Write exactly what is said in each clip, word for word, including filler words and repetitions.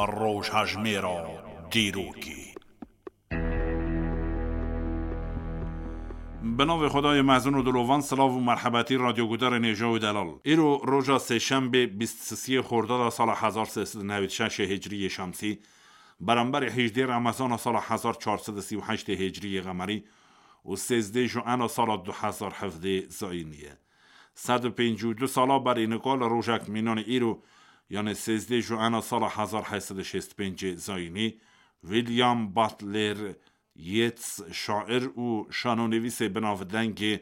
Rojhejmêra dîrokê. Bi navê Xwedayê mezin û dilovan, silav û merhebetî radyogudarên hêja û delal. Îro roja sêşembê bîst sisiyê Xordada sala hezar sê sed û newêd şeşê Hicriyê Şemsî, beramberî hejdê Remezana sala hezar çar sed û sî û heştê Hicriyê Qemerî û sêzdê Juena sala du hezar hevdê Zayînî ye. Sed û pêncî û du sala berî nika li rojek mînanê îro, yanê sêzdê Juena sala hezar heyt sed û şêst û pêncê Zayînî, William Butler Yeats, şair û şanonivîsê binavdengê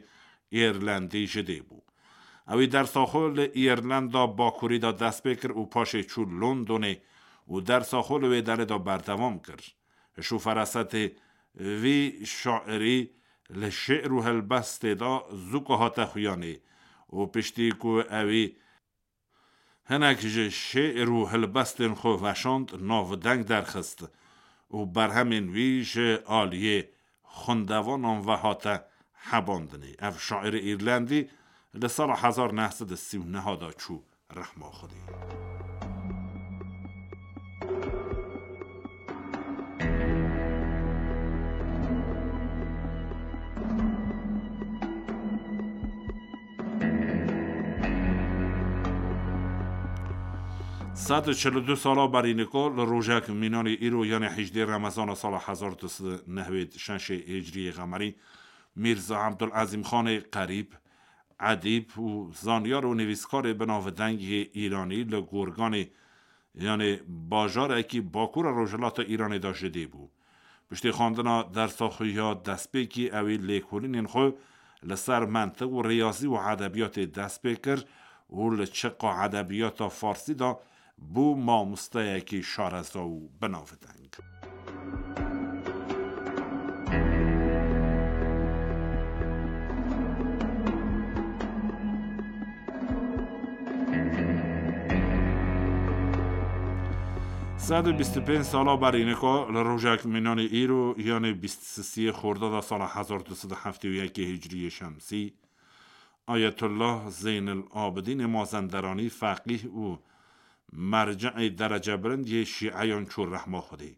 Îrlendî ji dê bû. Ew ê dersa xwe li Îrlenda Bakurî de dest pê kir û paşê çû Londonê û dersa xwe li wê derê de berdewam kir. Hiş û ferasetê vî şairî li şê'r û helbestê de zûka hate xuyanê û piştî ku ewî hinek ji şê'r û helbestên xwe veşand, navdeng derxist û berhemên wî ji aliyê xwendevanan ve hate hebandinê. Ev şairê Îrlendî li sala hezar neh sed û sî û neh de çû rehma Xwedê. Sed û çil û du sala berî nika li rojek mînanê îro, yanê hejdê Remezana sala hezar du sed û newêd şeşê Hicriyê Qemerî, Mîrza Ebdulezîm Xanê Qerîb, edîb û zanyar û nivîskarê binavdeng yê Îranî li Gorganê, yanê bajarekî bakura rojhilata Îranê de ji dê bû. Piştî xwendina dersa xwe ya destpêkî, ew ê lêkolînên xwe li ser mentiq û riyazî û edebiyatê dest pê kir û li çiqa edebiyata farsî de bû mamosteyekî şareza û binavdeng. Sed û bîst û pênc sala berî nika li rojek mînanê îro, yanê bîst sisiyê Xordada sala hezar du sed û heftê û yekê Hicriyê Şemsî, Ayetullah Zeynel Abidînê Mazenderanî, feqîh û merceê derecebilind yê şîeyan çû rehma Xwedê.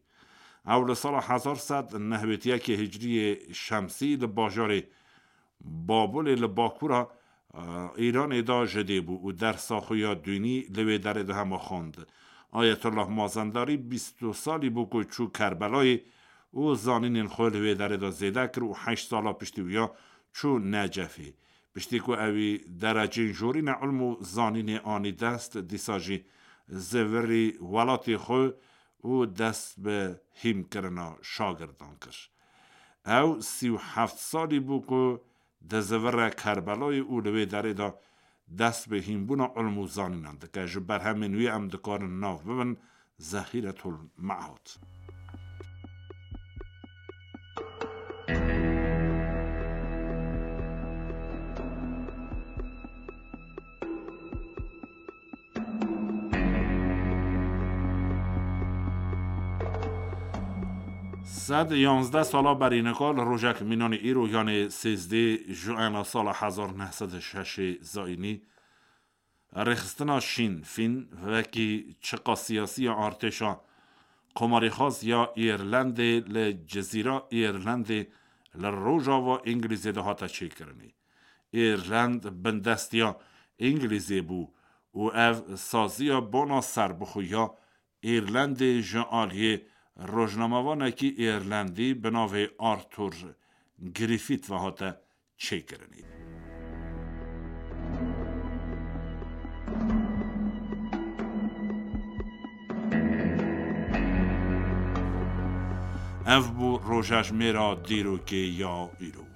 Ew li sala hezar sed nehwêd yekê Hicriyê Şemsî li bajarê Babulê li bakura, e, Îranê de ji dê bû û dersa xwe ya dînî li wê derê de hema xwend. Ayetullah Mazendarî bîst û du salî bû ku çû Kerbelayê û zanînên xwe li wê derê de zêde kir û heşt sala piştî wî ya çû Necefê. Piştî ku ewî derecên jorîna ilm û zanînê anî dest, dîsa jî zivirî welatê xwe û dest bi hîmkirina şagirdan kir. Ew sî û heft salî bû ku dizivire Kerbelayê û li wê derê de dest bi hînbûna ilm û zanînan dike. Ji berhemên wî em dikarin nav bibin Zehîretul Me'ad. Sed yanzdeh sala berî nika li rojek mînanê îro, yanê sêzdê Juena sala hezar neh sed û şeşê Zayînî, rêxistina Şîn Fîn, wekî çiqa siyasî ya artêşa komarîxwaz ya Îrlendê li Cizîra Îrlendê li rojava Îngilîzê de hate çêkirinê. Îrlend bindestiya Îngilîzê bû û ev saziya bona serbixwe ya Îrlendê ji aliyê rojnamevanekî Îrlendî bi navê Arthur Griffith ve hate çêkirinê. Ev bû rojejmêra dîrokê ya îro.